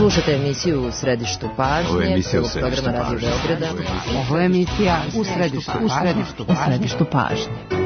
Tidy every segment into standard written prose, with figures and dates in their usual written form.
Slušate emisiju U središtu pažnje. Ovo je emisija U programa Radio Beograda. Ovo je emisija U središtu pažnje.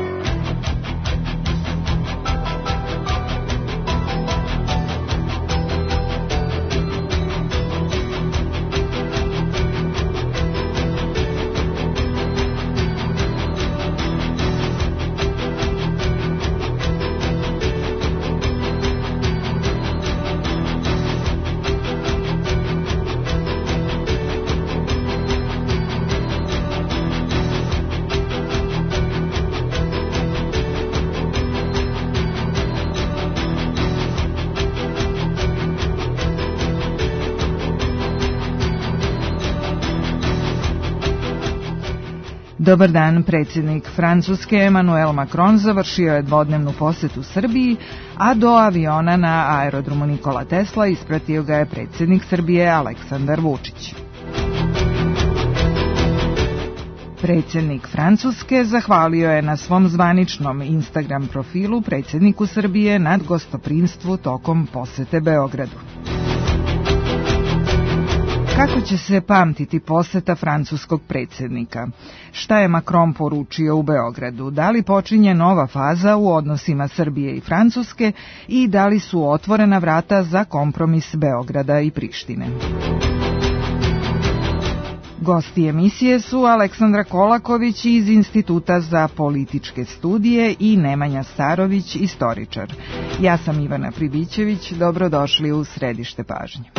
Dobar dan, predsjednik Francuske Emmanuel Macron završio je dvodnevnu posetu Srbiji, a do aviona na aerodromu Nikola Tesla ispratio ga je predsjednik Srbije Aleksandar Vučić. Predsjednik Francuske zahvalio je na svom zvaničnom Instagram profilu predsjedniku Srbije nad gostoprimstvu tokom posete Beogradu. Kako će se pamtiti poseta francuskog predsjednika? Šta je Macron poručio u Beogradu? Da li počinje nova faza u odnosima Srbije i Francuske i da li su otvorena vrata za kompromis Beograda i Prištine? Gosti emisije su Aleksandra Kolaković iz Instituta za političke studije i Nemanja Starović, istoričar. Ja sam Ivana Pribićević, dobrodošli u središte pažnje.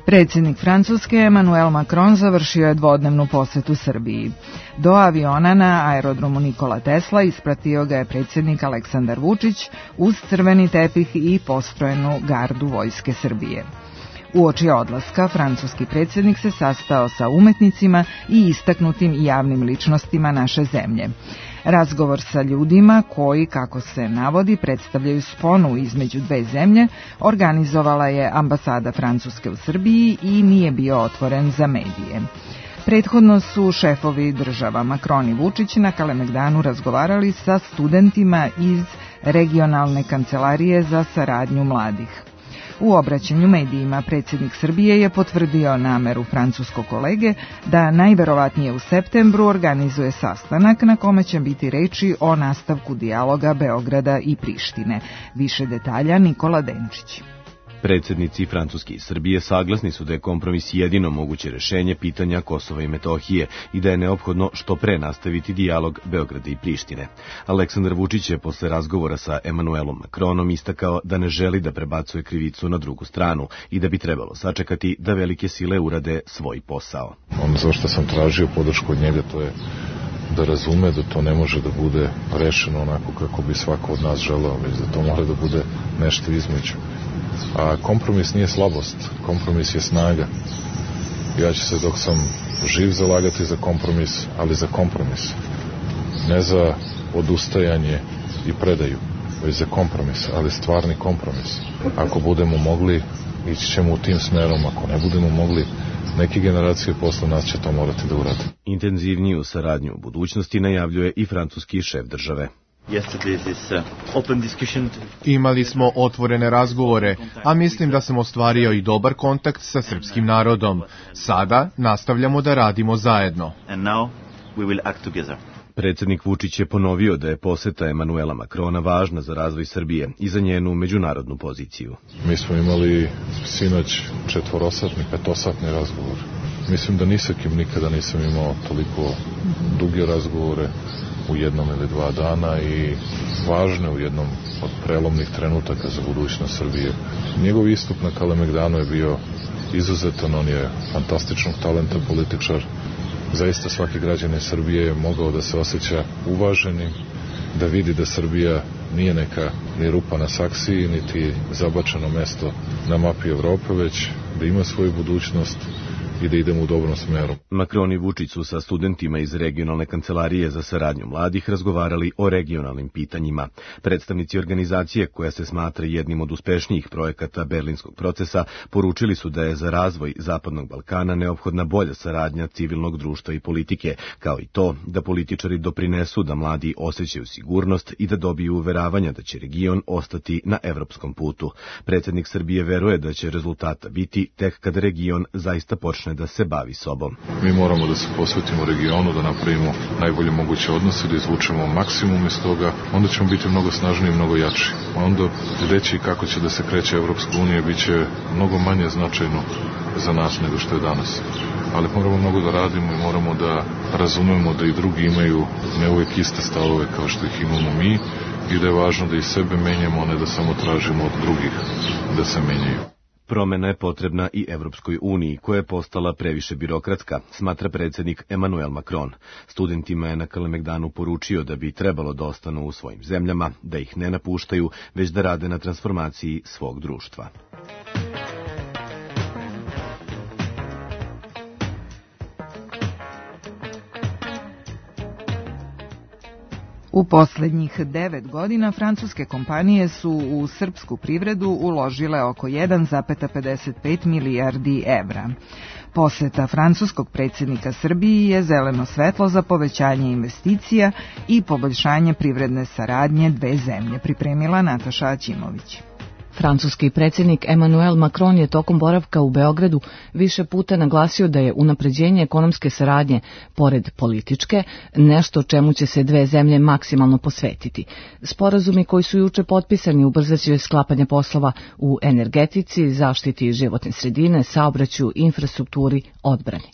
Predsjednik Francuske Emmanuel Macron završio je dvodnevnu posetu Srbiji. Do aviona na aerodromu Nikola Tesla ispratio ga je predsjednik Aleksandar Vučić uz crveni tepih i postrojenu gardu Vojske Srbije. Uoči odlaska, francuski predsjednik se sastao sa umetnicima i istaknutim javnim ličnostima naše zemlje. Razgovor sa ljudima koji, kako se navodi, predstavljaju sponu između dve zemlje, organizovala je ambasada Francuske u Srbiji i nije bio otvoren za medije. Prethodno su šefovi država Macron i Vučić na Kalemegdanu razgovarali sa studentima iz regionalne kancelarije za saradnju mladih. U obraćanju medijima predsjednik Srbije je potvrdio nameru francuskog kolege da najverovatnije u septembru organizuje sastanak na kome će biti reči o nastavku dijaloga Beograda i Prištine. Više detalja Nikola Denčić. Predsjednici Francuske i Srbije saglasni su da je kompromis jedino moguće rešenje pitanja Kosova i Metohije i da je neophodno što pre nastaviti dijalog Beograda i Prištine. Aleksandar Vučić je posle razgovora sa Emmanuelom Macronom istakao da ne želi da prebacuje krivicu na drugu stranu i da bi trebalo sačekati da velike sile urade svoj posao. Ono za što sam tražio podršku od njega to je da razume da to ne može da bude rešeno onako kako bi svako od nas želeo, već da to mora da bude nešto između. A kompromis nije slabost, kompromis je snaga. Ja ću se dok sam živ zalagati za kompromis, ali za kompromis. Ne za odustajanje i predaju, već za kompromis, ali stvarni kompromis. Ako budemo mogli, ići ćemo u tim smerom, ako ne budemo mogli, neke generacije posle nas će to morati da urade. Intenzivniju saradnju u budućnosti najavljuje i francuski šef države. Imali smo otvorene razgovore, a mislim da sam ostvario i dobar kontakt sa srpskim narodom. Sada nastavljamo da radimo zajedno. Predsjednik Vučić je ponovio da je poseta Emmanuela Macrona važna za razvoj Srbije i za njenu međunarodnu poziciju. Mi smo imali sinoć 4-satni, 5-satni razgovor. Mislim da ni sa kim nikada nisam imao toliko duge razgovore u jednom ili 2 dana i važne u jednom od prelomnih trenutaka za budućnost Srbije. Njegov istup na Kalemegdanu je bio izuzetan, on je fantastičnog talenta političar. Zaista svaki građanin Srbije je mogao da se osjeća uvaženim, da vidi da Srbija nije neka ni rupa na saksiji, niti zabačeno mesto na mapi Evrope, već da ima svoju budućnost, i da idemo u dobrom smeru. Macron i Vučić su sa studentima iz regionalne kancelarije za saradnju mladih razgovarali o regionalnim pitanjima. Predstavnici organizacije, koja se smatra jednim od uspešnijih projekata Berlinskog procesa, poručili su da je za razvoj Zapadnog Balkana neophodna bolja saradnja civilnog društva i politike, kao i to da političari doprinesu da mladi osjećaju sigurnost i da dobiju uveravanja da će region ostati na evropskom putu. Predsjednik Srbije veruje da će rezultata biti tek kada region zaista počne da se bavi sobom. Mi moramo da se posvetimo regionu, da napravimo najbolje moguće odnose, da izvučemo maksimum iz toga, onda ćemo biti mnogo snažniji i mnogo jači. Onda reći kako će da se kreće Evropska unija biće mnogo manje značajno za nas nego što je danas. Ali moramo mnogo da radimo i moramo da razumemo da i drugi imaju ne uvijek iste stavove kao što ih imamo mi i da je važno da i sebe menjamo, a ne da samo tražimo od drugih da se menjaju. Promena je potrebna i Evropskoj uniji, koja je postala previše birokratska, smatra predsjednik Emmanuel Macron. Studentima je na Kalemegdanu poručio da bi trebalo da ostanu u svojim zemljama, da ih ne napuštaju, već da rade na transformaciji svog društva. U posljednjih 9 godina francuske kompanije su u srpsku privredu uložile oko 1,55 milijardi evra. Poseta francuskog predsjednika Srbiji je zeleno svetlo za povećanje investicija i poboljšanje privredne saradnje dve zemlje, pripremila Nataša Aćimović. Francuski predsjednik Emmanuel Macron je tokom boravka u Beogradu više puta naglasio da je unapređenje ekonomske saradnje, pored političke, nešto čemu će se dve zemlje maksimalno posvetiti. Sporazumi koji su juče potpisani ubrzaće sklapanje poslova u energetici, zaštiti životne sredine, saobraćaju, infrastrukturi, odbrani.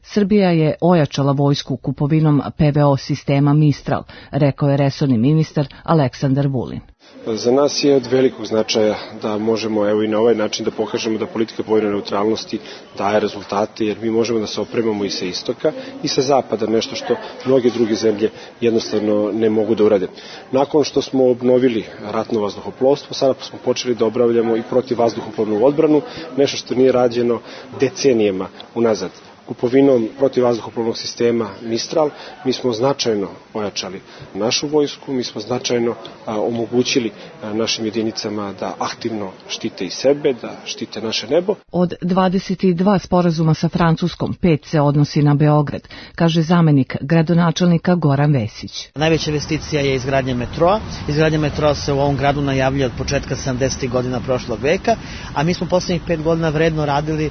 Srbija je ojačala vojsku kupovinom PVO sistema Mistral, rekao je resorni ministar Aleksandar Vulin. Za nas je od velikog značaja da možemo i na ovaj način da pokažemo da politika vojne neutralnosti daje rezultate, jer mi možemo da se opremamo i sa istoka i sa zapada, nešto što mnoge druge zemlje jednostavno ne mogu da urade. Nakon što smo obnovili ratno vazduhoplovstvo, sada smo počeli da obavljamo i protivvazduhoplovnu odbranu, nešto što nije rađeno decenijama unazad. Kupovinom protivvazduhoplovnog sistema Mistral mi smo značajno ojačali našu vojsku, mi smo značajno omogućili našim jedinicama da aktivno štite i sebe, da štite naše nebo. Od 22 sporazuma sa Francuskom, 5 se odnosi na Beograd, kaže zamenik gradonačelnika Goran Vesić. Najveća investicija je izgradnja metroa. Izgradnja metroa se u ovom gradu najavljuje od početka 70. godina prošlog veka, a mi smo poslednjih 5 godina vredno radili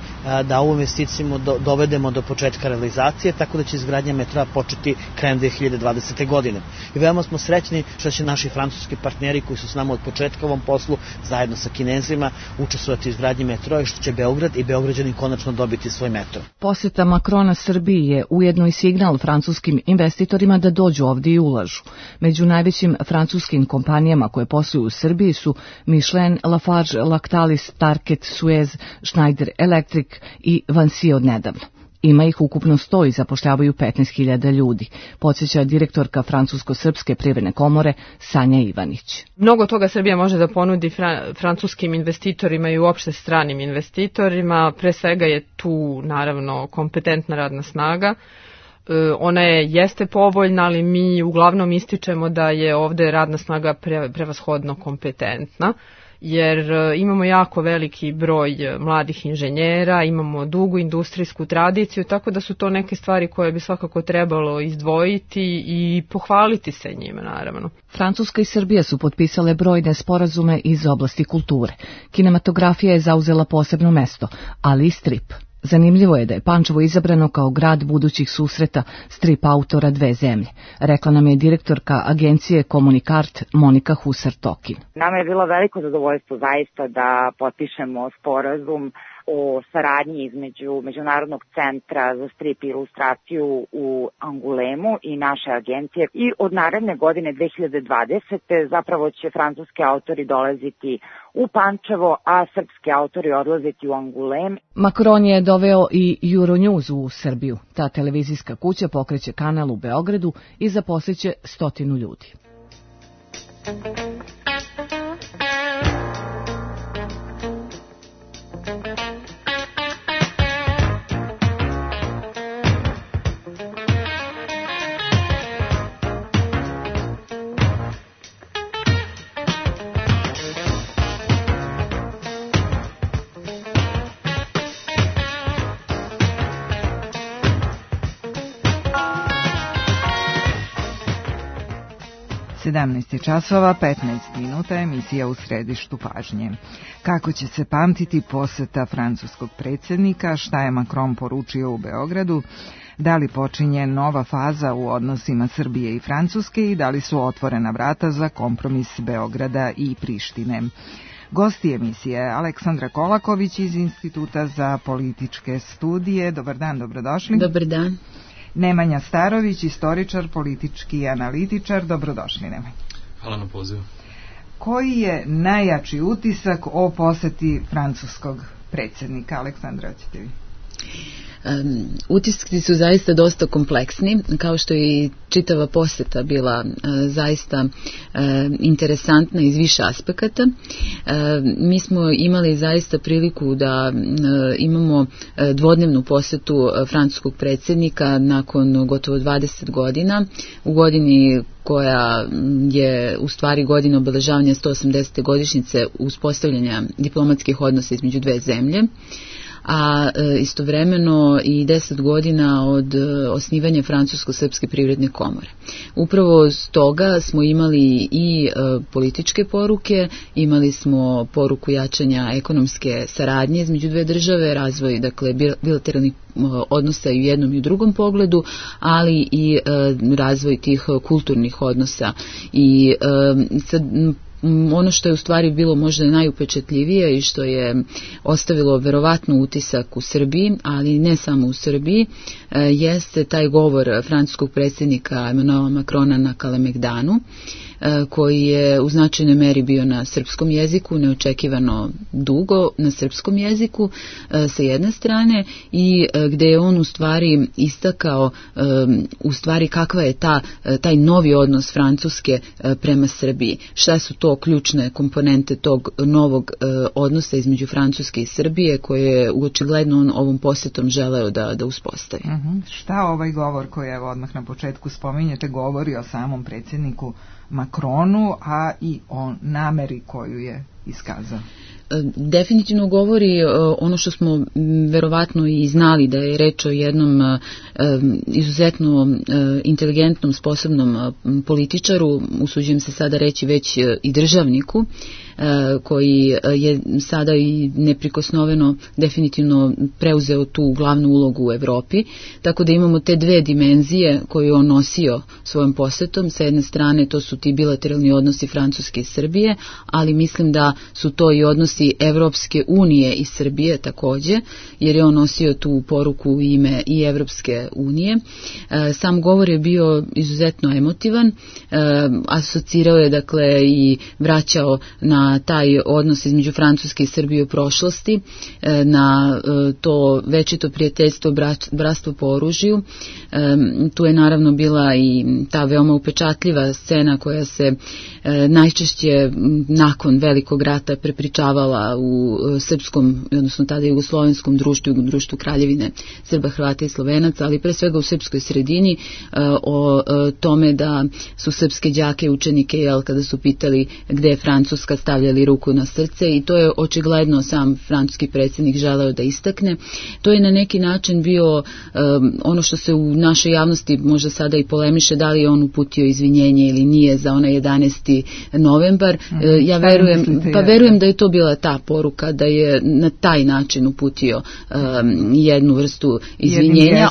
da ovu investiciju dovedemo do početka realizacije, tako da će izgradnja metroa početi krajem 2020. godine. I veoma smo srećni što će naši francuski partneri koji su s nama od početka u ovom poslu, zajedno sa Kinezima, učestvovati u izgradnji metroa i što će Beograd i Beograđani konačno dobiti svoj metro. Poseta Macrona Srbiji je ujedno i signal francuskim investitorima da dođu ovdje i ulažu. Među najvećim francuskim kompanijama koje posluju u Srbiji su Michelin, Lafarge, Lactalis, Target, Suez, Schneider Electric i Vinci od nedavno. Ima ih ukupno 100 i zapošljavaju 15.000 ljudi, podsjeća direktorka Francusko-srpske privredne komore Sanja Ivanić. Mnogo toga Srbija može da ponudi francuskim investitorima i uopšte stranim investitorima. Pre svega je tu naravno kompetentna radna snaga. Ona jeste povoljna, ali mi uglavnom ističemo da je ovde radna snaga prevashodno kompetentna, jer imamo jako veliki broj mladih inženjera, imamo dugu industrijsku tradiciju, tako da su to neke stvari koje bi svakako trebalo izdvojiti i pohvaliti se njima, naravno. Francuska i Srbija su potpisale brojne sporazume iz oblasti kulture. Kinematografija je zauzela posebno mesto, ali i strip. Zanimljivo je da je Pančevo izabrano kao grad budućih susreta strip autora dve zemlje, rekla nam je direktorka agencije Komunikart Monika Husar-Tokin. Nama je bilo veliko zadovoljstvo zaista da potpišemo sporazum o saradnji između Međunarodnog centra za strip i ilustraciju u Angulemu i naše agencije. I od naredne godine 2020. zapravo će francuski autori dolaziti u Pančevo, a srpski autori odlaziti u Angulem. Macron je doveo i Euronews u Srbiju. Ta televizijska kuća pokreće kanal u Beogradu i zaposliće 100 ljudi. 17 časova 15 minuta, emisija U središtu pažnje. Kako će se pamtiti poseta francuskog predsjednika, šta je Macron poručio u Beogradu, da li počinje nova faza u odnosima Srbije i Francuske i da li su otvorena vrata za kompromis Beograda i Prištine. Gosti emisije Aleksandra Kolaković iz Instituta za političke studije. Dobar dan, dobrodošli. Dobar dan. Nemanja Starović, istoričar, politički analitičar. Dobrodošli, Nemanja. Hvala na pozivu. Koji je najjači utisak o poseti francuskog predsjednika? Aleksandra, hoćete vi? Utisci su zaista dosta kompleksni, kao što je i čitava poseta bila zaista interesantna iz više aspekata. Mi smo imali zaista priliku da imamo dvodnevnu posetu francuskog predsjednika nakon gotovo 20 godina, u godini koja je u stvari godina obeležavanja 180. godišnjice uspostavljanja diplomatskih odnosa između dve zemlje, a istovremeno i 10 godina od osnivanja Francusko-srpske privredne komore. Upravo stoga smo imali i političke poruke, imali smo poruku jačanja ekonomske saradnje između dve države, razvoj bilateralnih odnosa i u jednom i u drugom pogledu, ali i razvoj tih kulturnih odnosa. I sad ono što je u stvari bilo možda najupečatljivije i što je ostavilo verovatno utisak u Srbiji, ali ne samo u Srbiji, jeste taj govor francuskog predsjednika Emmanuela Macrona na Kalemegdanu, koji je u značajnoj meri bio na srpskom jeziku, neočekivano dugo na srpskom jeziku sa jedne strane, i gde je on u stvari istakao u stvari kakva je taj novi odnos Francuske prema Srbiji. Šta su to ključne komponente tog novog odnosa između Francuske i Srbije koje je očigledno on ovom posjetom želeo da uspostavi. Šta ovaj govor koji evo odmah na početku spominjete govori o samom predsjedniku Macronu, a i o nameri koju je iskazao? Definitivno govori ono što smo verovatno i znali, da je reč o jednom izuzetno inteligentnom, sposobnom političaru, usuđujem se sada reći već i državniku, koji je sada i neprikosnoveno definitivno preuzeo tu glavnu ulogu u Evropi, tako da imamo te dve dimenzije koje je on nosio svojom posetom. Sa jedne strane to su ti bilateralni odnosi Francuske i Srbije, ali mislim da su to i odnosi Evropske unije i Srbije takođe, jer je on nosio tu poruku u ime i Evropske unije. Sam govor je bio izuzetno emotivan, asocirao je dakle i vraćao na taj odnos između Francuske i Srbije u prošlosti, na to večito prijateljstvo, bratstvo po oružju. Tu je naravno bila i ta veoma upečatljiva scena koja se najčešće nakon Velikog rata prepričavala u srpskom, odnosno tada jugoslovenskom društvu, društvu Kraljevine Srba, Hrvata i Slovenaca, ali pre svega u srpskoj sredini, o tome da su srpske đake i učenike, kada su pitali gde je Francuska, stavljali ruku na srce, i to je očigledno sam francuski predsjednik želeo da istakne. To je na neki način bio ono što se u našoj javnosti možda sada i polemiše, da li je on uputio izvinjenje ili nije za onaj 11. novembar. Ja verujem da je to bila ta poruka, da je na taj način uputio jednu vrstu izvinjenja,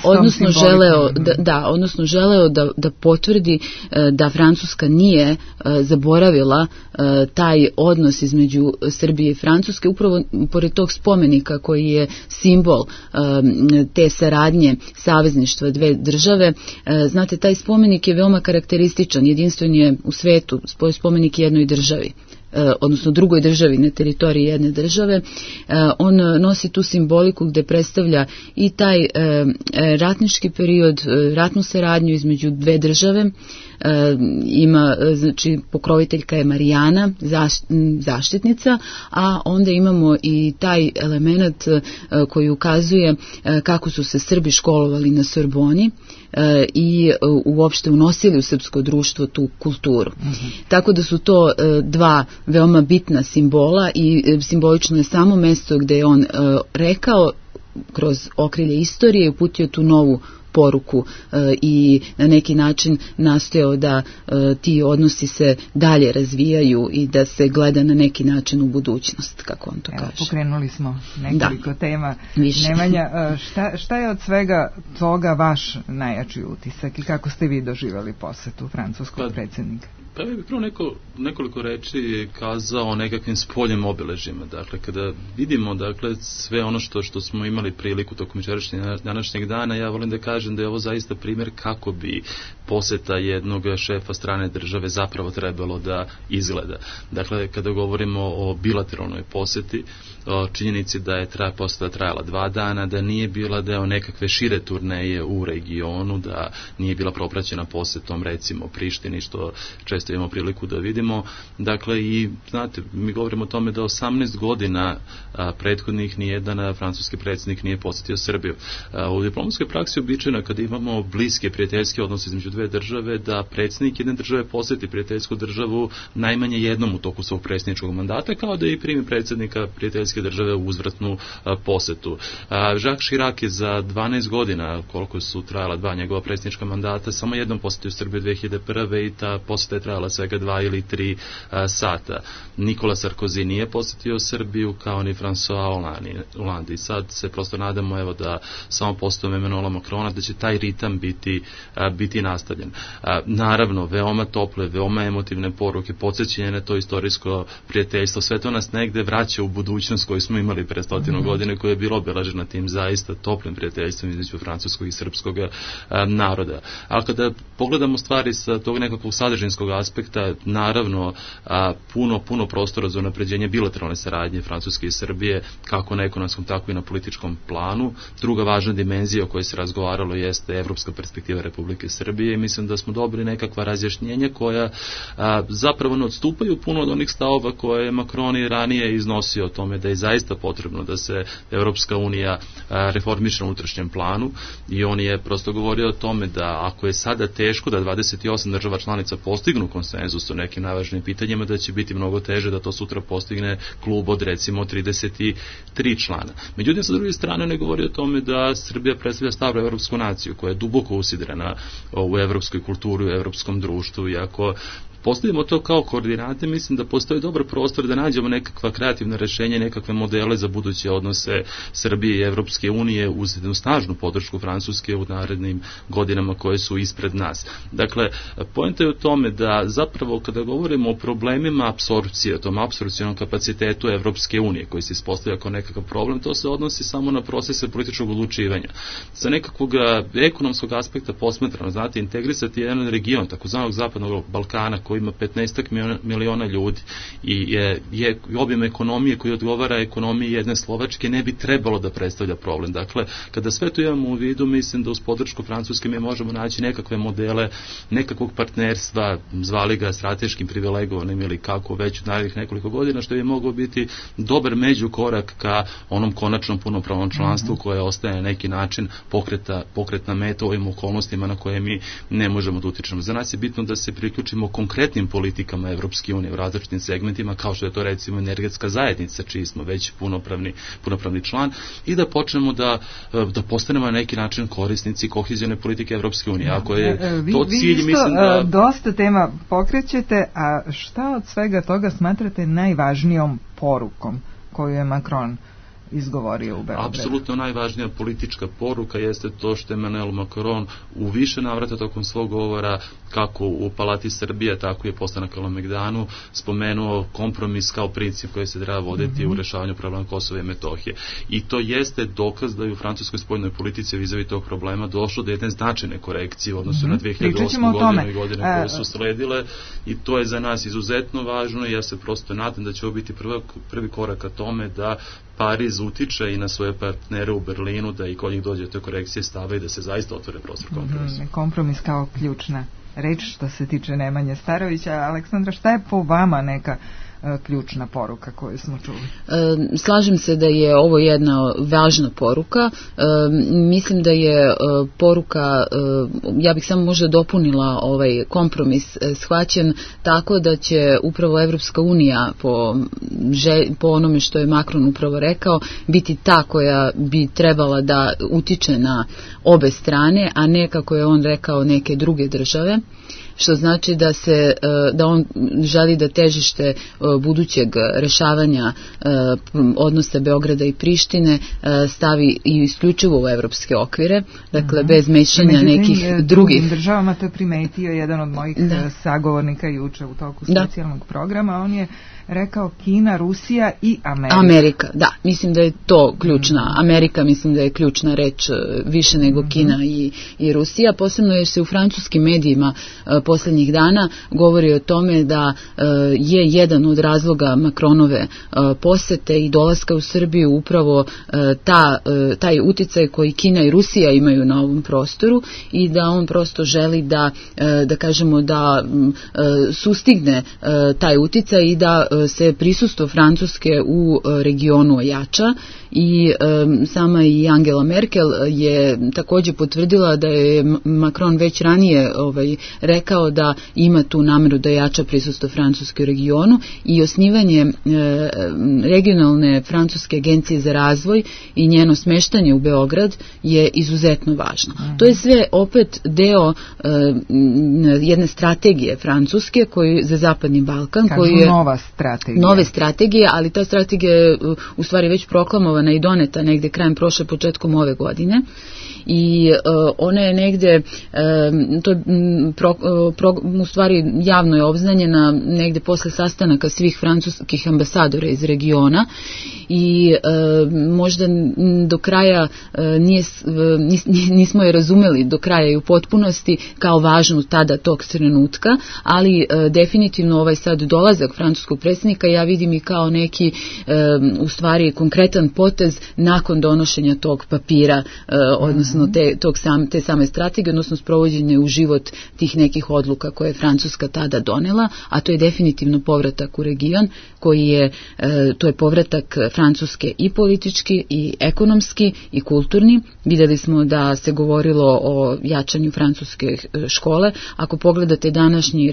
odnosno želeo da potvrdi da Francuska nije zaboravila taj odnos između Srbije i Francuske, upravo pored tog spomenika koji je simbol te saradnje, savezništva dve države. Znate, taj spomenik je veoma karakterističan, jedinstven je u svetu, spomenik jednoj državi, odnosno drugoj državi na teritoriji jedne države. On nosi tu simboliku gde predstavlja i taj ratnički period, ratnu saradnju između dve države. Ima, znači, pokroviteljka je Marijana, zaštitnica, a onda imamo i taj element koji ukazuje kako su se Srbi školovali na Sorboni i uopšte unosili u srpsko društvo tu kulturu. Tako da su to dva veoma bitna simbola i simbolično je samo mesto gde je on rekao kroz okrilje istorije uputio tu novu poruku i na neki način nastojao da ti odnosi se dalje razvijaju i da se gleda na neki način u budućnost, kako on to kaže. Pokrenuli smo nekoliko tema. Više. Nemanja, šta je od svega toga vaš najjači utisak i kako ste vi doživjeli posetu francuskog predsjednika? Pa ja bih prvo nekoliko reči kazao o nekakvim spoljnim obeležjima. Dakle, kada vidimo sve ono što smo imali priliku tokom današnjeg dana, ja volim da kažem da je ovo zaista primjer kako bi poseta jednog šefa strane države zapravo trebalo da izgleda. Dakle, kada govorimo o bilateralnoj poseti, o činjenici da je poseta trajala 2 dana, da nije bila deo nekakve šire turneje u regionu, da nije bila propraćena posetom recimo Prištini, što često imamo priliku da vidimo. Dakle, i znate, mi govorimo o tome da 18 godina prethodnih nijedan francuski predsjednik nije posjetio Srbiju. U diplomatskoj praksi običajno kada imamo bliske prijateljske odnose između dve države, da predsjednik jedne države posjeti prijateljsku državu najmanje jednom u toku svog predsjedničkog mandata, kao da i primi predsjednika prijateljske države u uzvratnu posetu. Jacques Chirac je za 12 godina, koliko su trajala 2 njegova predsjednička mandata, samo jednom posjetio Srbiju 2001. i ta posjeta je trajala svega 2 ili 3 sata. Nikola Sarkozy nije posjetio Srbiju, kao ni François Hollande. I sad se prosto nadamo da samo postojem Emmanuela Macrona, da će taj ritam biti nastavljen. Naravno, veoma tople, veoma emotivne poruke, podsjećanje na to istorijsko prijateljstvo, sve to nas negde vraća u budućnost koju smo imali pre 100 godina, koja je bila obeležena tim zaista toplim prijateljstvom između francuskog i srpskog naroda. Ali kada pogledamo stvari sa tog nekakvog sadržinskog aspekta, naravno puno prostora za unapređenje bilateralne saradnje Francuske i Srbije, kako na ekonomskom, tako i na političkom planu. Druga važna dimenzija o kojoj se razgovaralo jeste evropska perspektiva Republike Srbije i mislim da smo dobili nekakva razjašnjenja koja zapravo ne odstupaju puno od onih stavova koje je Macron i ranije iznosio o tome da je zaista potrebno da se Evropska unija reformiše na unutrašnjem planu, i on je prosto govorio o tome da ako je sada teško da 28 država članica postignu konsenzus o nekim najvažnijim pitanjima, da će biti mnogo teže da to sutra postigne klub od recimo 33 člana. Međutim, sa druge strane ne govori o tome da Srbija predstavlja staru evropsku naciju koja je duboko usidrena u evropskoj kulturi, u evropskom društvu, i ako postavimo to kao koordinate, mislim da postoji dobar prostor da nađemo nekakva kreativna rešenja, nekakve modele za buduće odnose Srbije i Evropske unije uz jednu snažnu podršku Francuske u narednim godinama koje su ispred nas. Dakle, poenta je u tome da zapravo kada govorimo o problemima apsorpcije, o tom apsorpcionom kapacitetu Evropske unije koji se ispostavlja kao nekakav problem, to se odnosi samo na procese političkog odlučivanja. Sa nekakvog ekonomskog aspekta posmatrano, znate, integrisati jedan region, takozvanog zapadnog Balkana, koji ima 15 miliona ljudi i je objem ekonomije koji odgovara ekonomiji jedne Slovačke, ne bi trebalo da predstavlja problem. Dakle, kada sve to imamo u vidu, mislim da uz podršku Francuske mi možemo naći nekakve modele nekakvog partnerstva, zvali ga strateškim privilegovanim ili kako već u narednih nekoliko godina, što bi mogao biti dobar međukorak ka onom konačnom punopravnom članstvu koje ostaje na neki način pokretna meta u ovim okolnostima na koje mi ne možemo da utičemo. Za nas je bitno da se priključimo konkretnim politikama Evropske unije u različitim segmentima, kao što je to recimo energetska zajednica, čiji smo već punopravni član, i da počnemo da postanemo na neki način korisnici kohezione politike Evropske unije. Ako je to cilj, mislim da... dosta tema pokrećete, a šta od svega toga smatrate najvažnijom porukom koju je Macron izgovorio u Beogradu? Apsolutno najvažnija politička poruka jeste to što je Emmanuel Macron u više navrata tokom svog govora, kako u Palati Srbije, tako i posle na Kalemegdanu, spomenuo kompromis kao princip koji se treba voditi u rešavanju problema Kosova i Metohije. I to jeste dokaz da je u francuskoj spoljnoj politici vizavi tog problema došlo do jedne značajne korekcije u odnosu na 2008. godinu i godine koje su sledile, i to je za nas izuzetno važno, i ja se prosto nadam da će ovo biti prvi korak ka tome da Pariz utiče i na svoje partnere u Berlinu, da i kod njih dođe do te korekcije stava i da se zaista otvore prostor kompromisa. Kompromis kao ključna reč što se tiče Nemanje Starovića. Aleksandra, šta je po vama neka ključna poruka koju smo čuli? Slažem se da je ovo jedna važna poruka. Mislim da je poruka, ja bih samo možda dopunila ovaj kompromis, shvaćen tako da će upravo Evropska unija po onome što je Macron upravo rekao biti ta koja bi trebala da utiče na obe strane, a ne kako je on rekao neke druge države, što znači da on želi da težište budućeg rešavanja odnosa Beograda i Prištine stavi i isključivo u evropske okvire, dakle bez mešanja nekih drugih državama. To je primetio jedan od mojih sagovornika juče u toku specijalnog programa. On je rekao Kina, Rusija i Amerika. Amerika, da, mislim da je to ključna. Amerika mislim da je ključna reč više nego Kina i Rusija. Posebno jer se u francuskim medijima posljednjih dana govori o tome da je jedan od razloga Macronove posete i dolaska u Srbiju upravo taj uticaj koji Kina i Rusija imaju na ovom prostoru i da on prosto želi da kažemo da sustigne taj uticaj i da se prisustvo Francuske u regionu ojača i sama i Angela Merkel je također potvrdila da je Macron već ranije rekao da ima tu nameru da jača prisustvo Francuske u regionu i osnivanje regionalne francuske agencije za razvoj i njeno smeštanje u Beograd je izuzetno važno. To je sve opet deo jedne strategije Francuske za Zapadni Balkan. Koji je nove strategije, ali ta strategija je u stvari već proklamovana i doneta negde krajem prošle, početkom ove godine. I ona je negde u stvari javno je obznanjena negde posle sastanaka svih francuskih ambasadora iz regiona i možda do kraja nismo je razumeli do kraja i u potpunosti kao važnu tada tog trenutka, ali definitivno ovaj sad dolazak francuskog predsjednika ja vidim i kao neki u stvari konkretan potez nakon donošenja tog papira, odnosno te same strategije, odnosno sprovođenje u život tih nekih odluka koje je Francuska tada donela, a to je definitivno povratak u region to je povratak Francuske i politički i ekonomski i kulturni. Vidjeli smo da se govorilo o jačanju francuske škole. Ako pogledate današnju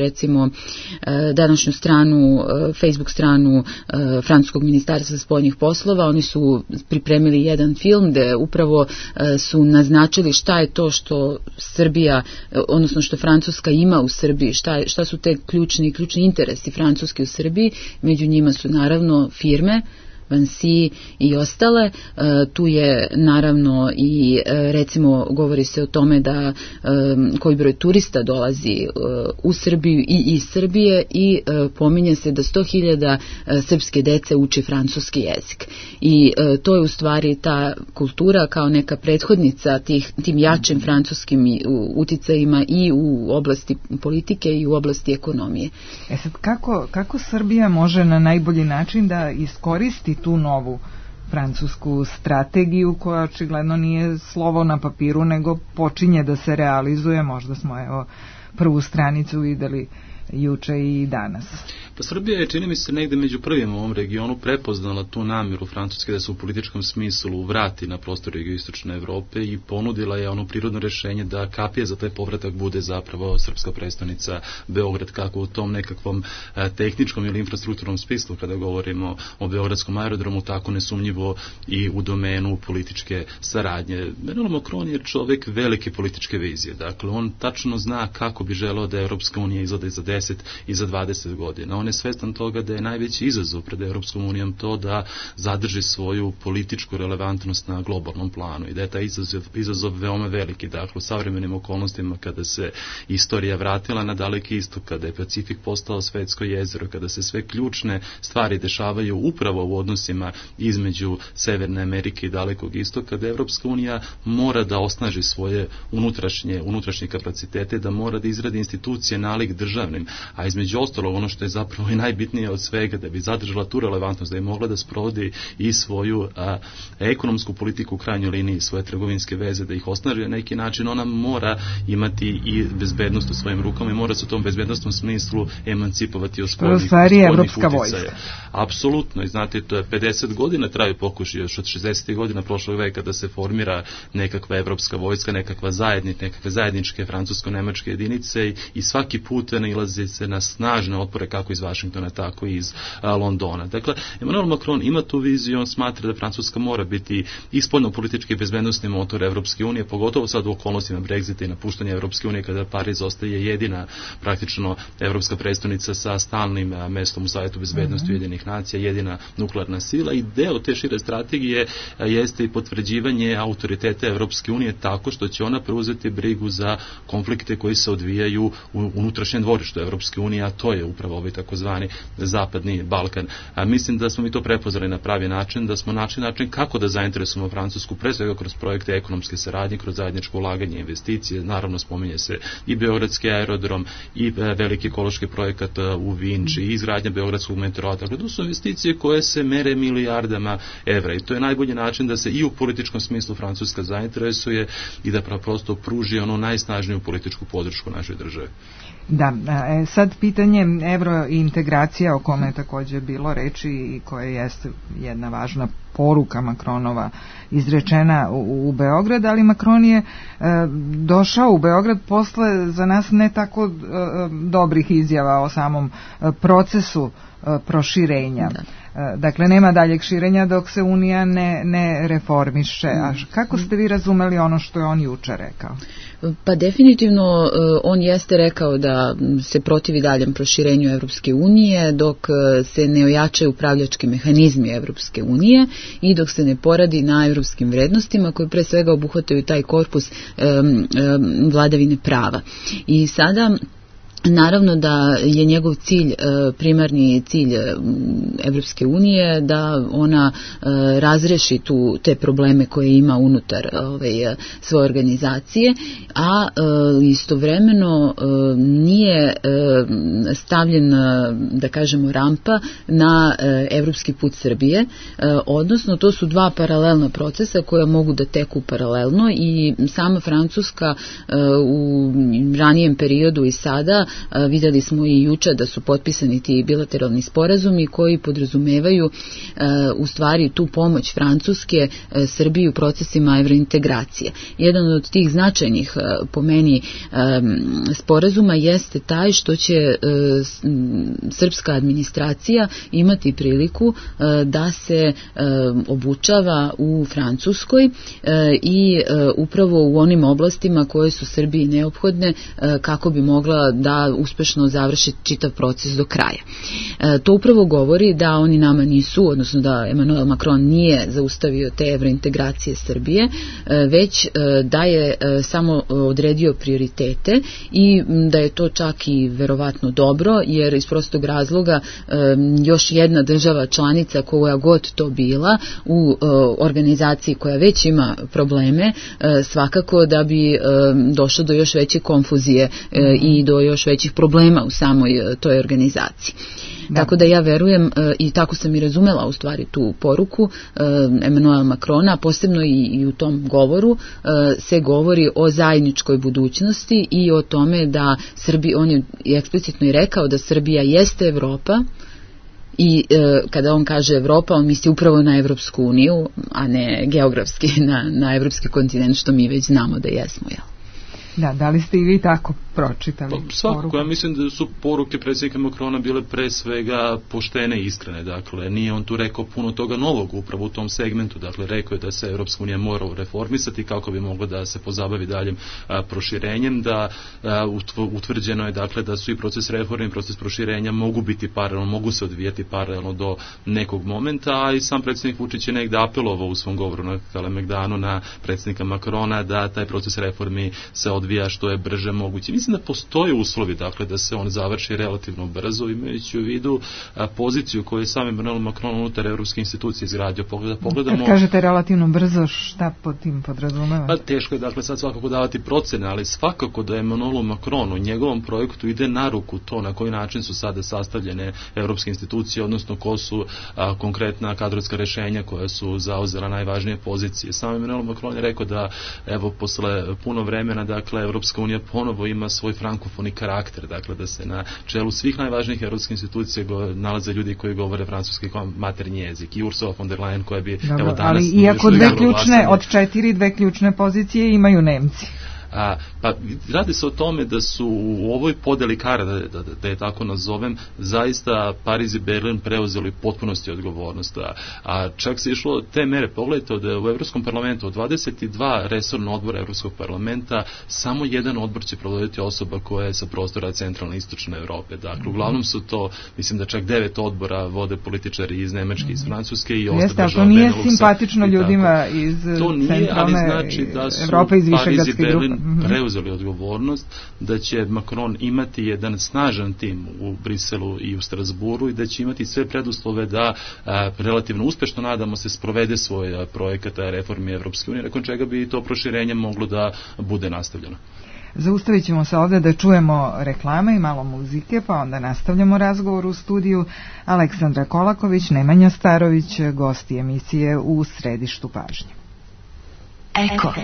stranu, Facebook stranu Francuskog ministarstva spoljnih poslova, oni su pripremili jedan film gde upravo su naznačili šta je to što Srbija, odnosno što Francuska ima u Srbiji, šta su te ključni interesi Francuske u Srbiji. Među njima su naravno firme, Vinci i ostale. Tu je naravno i recimo govori se o tome da koji broj turista dolazi u Srbiju i iz Srbije i pominje se da 100.000 srpske dece uči francuski jezik. I to je u stvari ta kultura kao neka prethodnica tim jačim francuskim uticajima i u oblasti politike i u oblasti ekonomije. Sad kako Srbija može na najbolji način da iskoristi tu novu francusku strategiju koja očigledno nije slovo na papiru nego počinje da se realizuje? Možda smo prvu stranicu videli juče i danas. Pa Srbija je, čini mi se, negde među prvim u ovom regionu prepoznala tu namjeru Francuske da se u političkom smislu vrati na prostor jugoistočne Evrope i ponudila je ono prirodno rješenje da kapija za taj povratak bude zapravo srpska prestonica Beograd, kako u tom nekakvom tehničkom ili infrastrukturnom smislu kada govorimo o beogradskom aerodromu, tako nesumnjivo i u domenu političke saradnje. Emmanuel Macron je čovjek velike političke vizije, dakle on tačno zna kako bi želeo da Evropska unija izgleda za 10 i za 20 godina. On je svestan toga da je najveći izazov pred Europskom unijom to da zadrži svoju političku relevantnost na globalnom planu i da je taj izazov veoma veliki. Dakle, u savremenim okolnostima kada se istorija vratila na Daleki istok, kada je Pacifik postao svetsko jezero, kada se sve ključne stvari dešavaju upravo u odnosima između Severne Amerike i Dalekog istoka, da Europska unija mora da osnaži svoje unutrašnje kapacitete, da mora da izradi institucije nalik državnim, a između ostalog ono što je zapravo dakle ovo je najbitnije od svega, da bi zadržala tu relevantnost, da je mogla da sprovodi i svoju ekonomsku politiku u krajnjoj liniji, svoje trgovinske veze, da ih osnaži na neki način, ona mora imati i bezbednost u svojim rukama i mora se u tom bezbednostnom smislu emancipovati od spoljnih uticaja. Apsolutno, i znate, to je 50 godina traju pokušaj još od 60. godina prošlog veka da se formira nekakva evropska vojska, nekakve zajedničke francusko-nemačke jedinice i svaki put nailazi se na snažne otpore kako iz Vašingtona, tako i iz Londona. Dakle, Emmanuel Macron ima tu viziju, on smatra da Francuska mora biti i spoljno-politički bezbednosni motor Evropske unije, pogotovo sad u okolnostima Brexita i napuštanja Evropske unije, kada Pariz ostaje jedina praktično evropska predstavnica sa stalnim mestom u Savetu bezbednosti Ujedinjenih nacija, jedina nuklearna sila, i deo te šire strategije jeste i potvrđivanje autoriteta Evropske unije tako što će ona preuzeti brigu za konflikte koji se odvijaju u unutrašnjem dvorištu Evropske unije, a to je upravo ovaj takozvani Zapadni Balkan. Mislim da smo mi to prepoznali na pravi način, da smo našli način kako da zainteresujemo Francusku, pre svega kroz projekte ekonomske saradnje, kroz zajedničko ulaganje, investicije, naravno spominje se i Beogradski aerodrom i veliki ekološki projekat u Vinči i izgradnja Beogradskog metroa. Dakle, to su investicije koje se mere milijardama evra i to je najbolji način da se i u političkom smislu Francuska zainteresuje i da prosto pruži ono najsnažniju političku podršku našoj državi. Da, sad pitanje evrointegracija o kome je također bilo reči i koje jeste jedna važna poruka Macronova izrečena u Beograd, ali Macron je došao u Beograd posle za nas ne tako dobrih izjava o samom procesu proširenja. Dakle, nema daljeg širenja dok se Unija ne reformiše. A kako ste vi razumeli ono što je on juče rekao? Pa definitivno on jeste rekao da se protivi daljem proširenju Evropske unije dok se ne ojačaju upravljački mehanizmi Evropske unije i dok se ne poradi na evropskim vrednostima koje pre svega obuhvataju taj korpus vladavine prava. I sada naravno da je njegov cilj, primarni cilj Evropske unije, da ona razreši te probleme koje ima unutar svoje organizacije, a istovremeno nije stavljen, da kažemo, rampa na evropski put Srbije, odnosno to su dva paralelna procesa koja mogu da teku paralelno i sama Francuska u ranijem periodu i sada vidjeli smo i juče da su potpisani ti bilateralni sporazumi koji podrazumevaju u stvari tu pomoć Francuske Srbiji u procesima evrointegracije. Jedan od tih značajnih po meni sporazuma jeste taj što će srpska administracija imati priliku da se obučava u Francuskoj i upravo u onim oblastima koje su Srbiji neophodne kako bi mogla da uspešno završi čitav proces do kraja. To upravo govori da oni nama nisu, odnosno da Emmanuel Macron nije zaustavio te evrointegracije Srbije, već da je samo odredio prioritete i da je to čak i verovatno dobro, jer iz prostog razloga još jedna država članica, koja god to bila, u organizaciji koja već ima probleme, svakako da bi došlo do još veće konfuzije i do još većih problema u samoj toj organizaciji. Tako da ja verujem i tako sam i razumela u stvari tu poruku Emmanuela Macrona, posebno i u tom govoru se govori o zajedničkoj budućnosti i o tome da Srbija, on je eksplicitno i rekao da Srbija jeste Evropa. I kada on kaže Evropa, on misli upravo na Evropsku uniju, a ne geografski na evropski kontinent, što mi već znamo da jesmo, jel? Da li ste i vi tako pročitali? Pa, svakako, ja mislim da su poruke predsjednika Macrona bile pre svega poštene i iskrene. Dakle, nije on tu rekao puno toga novog upravo u tom segmentu. Dakle, rekao je da se Evropska unija mora reformisati kako bi mogla da se pozabavi daljem proširenjem, da utvrđeno je dakle da su i proces reforme i proces proširenja mogu biti paralelno, mogu se odvijati paralelno do nekog momenta, a i sam predsjednik Vučić je negde apelovao u svom govoru na Kalemegdanu na predsjednika Macrona da taj proces reformi se odvija što je brže moguće. Mislim mislim da postoje uslovi, dakle, da se on završi relativno brzo, imajući u vidu poziciju koju je sam Emmanuel Macron unutar evropske institucije izgradio. Pogledamo... Kad kažete relativno brzo, šta pod tim podrazumeva? Pa teško je, dakle, sad svakako davati procene, ali svakako da Emmanuelu Macronu, njegovom projektu ide na ruku to na koji način su sada sastavljene evropske institucije, odnosno ko su konkretna kadrovska rešenja koja su zauzela najvažnije pozicije. Sam Emmanuel Macron je rekao da, evo, posle puno vremena, dakle, Evropska unija ponovo ima svoj frankofoni karakter, dakle, da se na čelu svih najvažnijih evropskih institucija nalaze ljudi koji govore francuski kao maternji jezik, i Ursula von der Leyen koja bi, dobro, evo, danas... Ali iako od 4 ključne pozicije imaju Nemci. Pa radi se o tome da su u ovoj podeli kara, da je tako nazovem, zaista Pariz i Berlin preuzeli potpunosti odgovornost. A čak se išlo te mere. Pogledajte da je u Evropskom parlamentu od 22 resorna odbora Evropskog parlamenta samo jedan odbor će provoditi osoba koja je sa prostora centralne i istočne Evrope. Dakle, uglavnom su to, mislim da čak 9 odbora vode političari iz Nemačke, iz Francuske i ostale država Beneluxa. To nije simpatično ljudima iz centralne Evrope, iz Višegradske grupe. Preuzeli odgovornost da će Macron imati jedan snažan tim u Briselu i u Strasburu i da će imati sve preduslove da relativno uspešno, nadamo se, sprovede svoj projekat reformi Evropske unije, nakon čega bi to proširenje moglo da bude nastavljeno. Zaustavit ćemo se ovde da čujemo reklame i malo muzike, pa onda nastavljamo razgovor u studiju. Aleksandra Kolaković, Nemanja Starović, gosti emisije U središtu pažnje. Eko.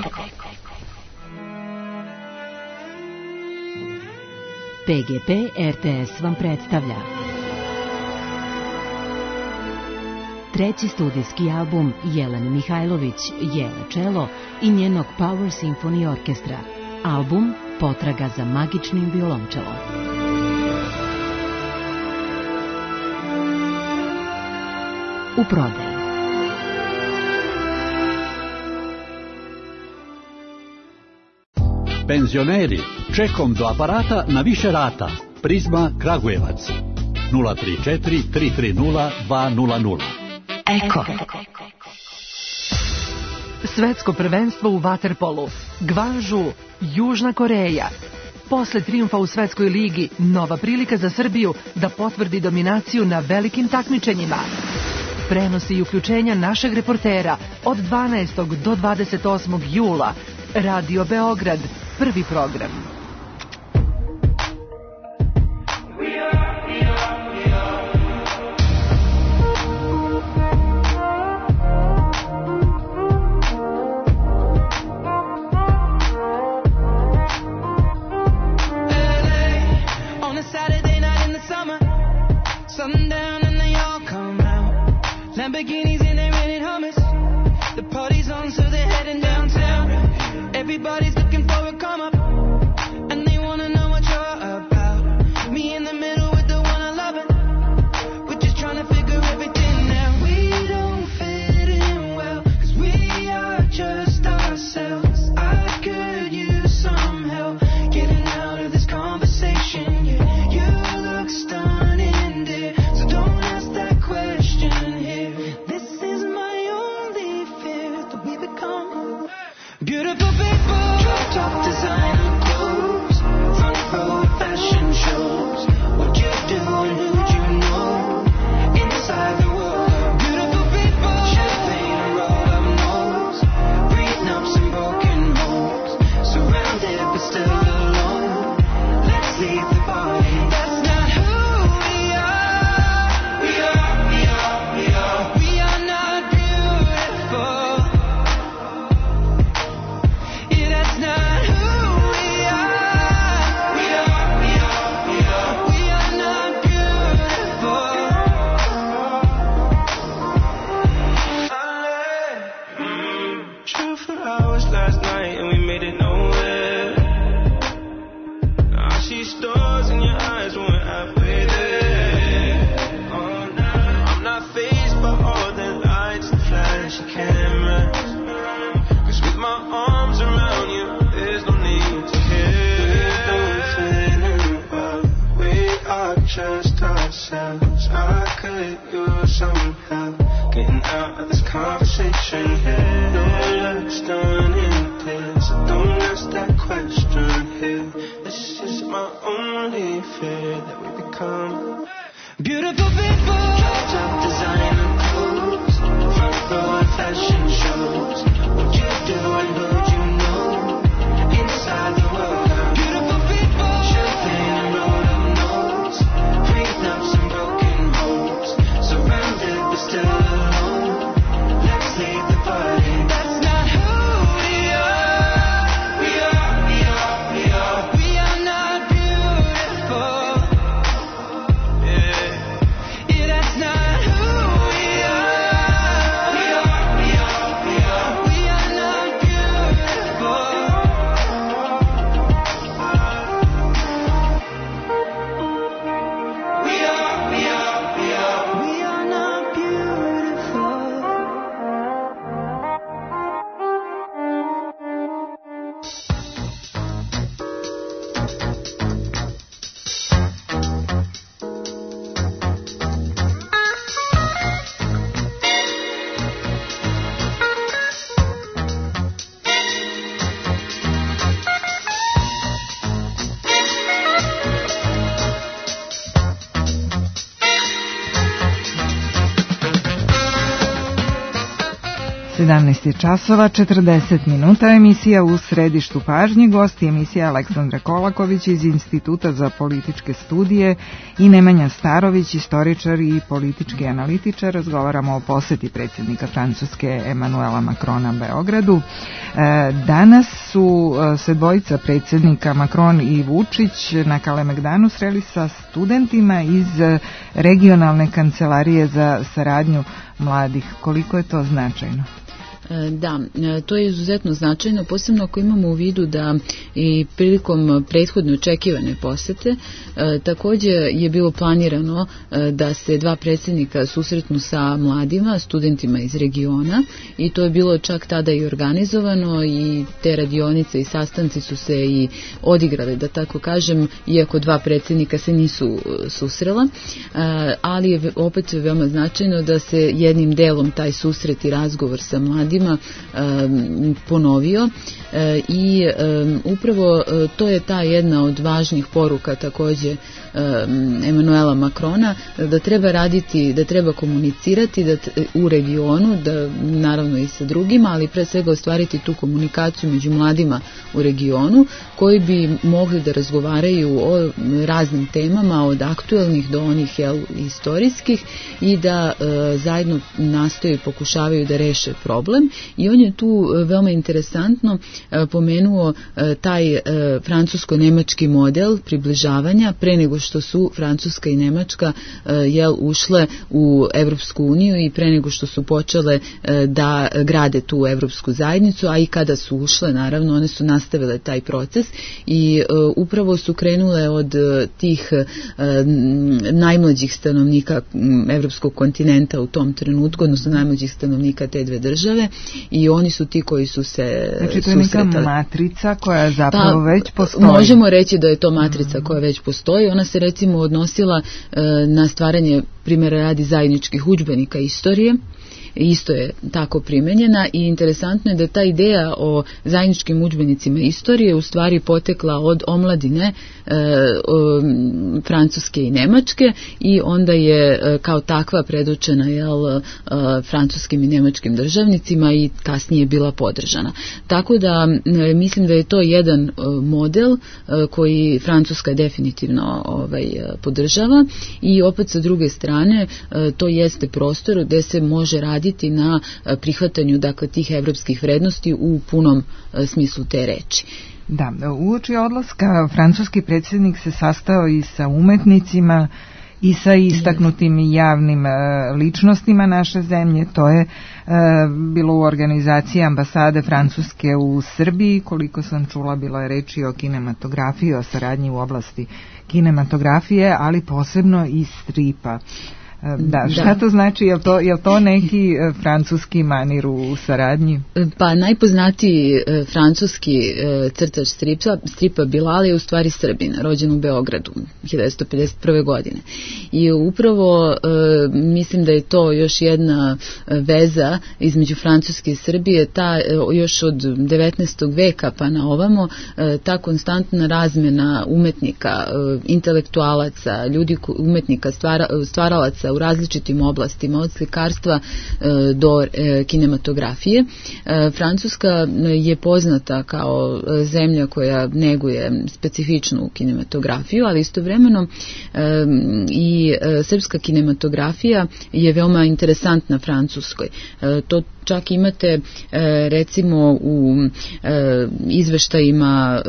PGP RTS vam predstavlja treći studijski album Jelene Mihajlović, Jela Čelo i njenog Power Symphony Orkestra. Album Potraga za magičnim violončelom. U prodaji. Penzioneri, čekom do aparata na više rata. Prizma Kragujevac 034 330 200. Eko. Svetsko prvenstvo u vaterpolu. Gvanžu, Južna Koreja. Posle trijumfa u Svetskoj ligi, nova prilika za Srbiju da potvrdi dominaciju na velikim takmičenjima. Prenosi i uključenja našeg reportera od 12. do 28. jula. Radio Beograd, prvi program. Lamborghinis and they rented hummus. The party's on, so they're heading downtown. Everybody's looking for a come up, and they wanna know what you're about. Me in the middle with the one I love it. We're just trying to figure everything out. We don't fit in well, 'cause we are just ourselves. I could use some help getting out of this conversation. Yeah, you look stunning, dear, so don't ask that question here. This is my only fear, that we become beautiful people. Top designer clothes, front row fashion shows. What you do and who'd you know inside the world? Beautiful people, champagne and roll up nose, breathing up some broken homes. Surrounded but still alone. Let's leave the party. That's not who we are. We are not beautiful. Yeah, that's not who we are. We are not beautiful. True for hours last night and we made it nowhere. I see stars in your eyes when we're halfway there. Oh, nah. I'm not fazed by all the lights and flashy cameras. 'Cause with my arms around you, there's no need to care. We don't fit in well, we are just ourselves. I could use some help getting out of this conversation here. No looks done in this, so don't ask that question here. This is 17 časova 40 minuta, emisija U središtu pažnje, gosti emisija Aleksandra Kolaković iz Instituta za političke studije i Nemanja Starović, istoričar i politički analitičar. Razgovaramo o poseti predsjednika Francuske Emanuela Macrona Beogradu. Danas su se dvojica predsjednika, Macron i Vučić, na Kalemegdanu sreli sa studentima iz regionalne kancelarije za saradnju mladih. Koliko je to značajno? Da, to je izuzetno značajno, posebno ako imamo u vidu da i prilikom prethodne očekivane posete takođe je bilo planirano da se dva predsjednika susretnu sa mladima, studentima iz regiona, i to je bilo čak tada i organizovano i te radionice i sastanci su se i odigrali, da tako kažem, iako dva predsjednika se nisu susrela, ali je opet veoma značajno da se jednim delom taj susret i razgovor sa mladima ponovio i upravo to je ta jedna od važnih poruka takođe Emanuela Macrona, da treba raditi, da treba komunicirati u regionu, da naravno i sa drugima, ali pre svega ostvariti tu komunikaciju među mladima u regionu koji bi mogli da razgovaraju o raznim temama, od aktuelnih do onih istorijskih, i da zajedno nastoje i pokušavaju da reše problem. I on je tu veoma interesantno pomenuo taj francusko-nemački model približavanja pre nego što su Francuska i Nemačka ušle u Evropsku uniju i pre nego što su počele da grade tu Evropsku zajednicu, a i kada su ušle, naravno, one su nastavile taj proces i upravo su krenule od tih najmlađih stanovnika Evropskog kontinenta u tom trenutku, odnosno najmlađih stanovnika te dve države, i oni su ti koji su se susretali. Znači to je neka matrica koja zapravo već postoji. Možemo reći da je to matrica koja već postoji. Ona se recimo odnosila na stvaranje, primjera radi, zajedničkih udžbenika istorije. Isto je tako primenjena i interesantno je da ta ideja o zajedničkim udžbenicima istorije u stvari potekla od omladine Francuske i Nemačke i onda je kao takva predočena francuskim i nemačkim državnicima i kasnije bila podržana. Tako da mislim da je to jedan model koji Francuska definitivno podržava i opet sa druge strane to jeste prostor gde se može raditi na prihvatanju, dakle, tih evropskih vrednosti u punom smislu te reči. Da, uoči odlaska francuski predsjednik se sastao i sa umetnicima i sa istaknutim javnim ličnostima naše zemlje. To je bilo u organizaciji ambasade Francuske u Srbiji. Koliko sam čula, bilo je reči o kinematografiji, o saradnji u oblasti kinematografije, ali posebno i stripa. Da, šta to znači? Je to neki francuski manir u saradnji? Pa najpoznatiji francuski crtač stripa Bilal je u stvari Srbin, rođen u Beogradu 1951. godine. I upravo mislim da je to još jedna veza između Francuske i Srbije, ta još od 19. veka pa na ovamo, ta konstantna razmena umetnika, intelektualaca, ljudi, umetnika, stvaralaca u različitim oblastima, od slikarstva do kinematografije. Francuska je poznata kao zemlja koja neguje specifičnu kinematografiju, ali istovremeno i srpska kinematografija je veoma interesantna Francuskoj. To čak imate recimo u izveštajima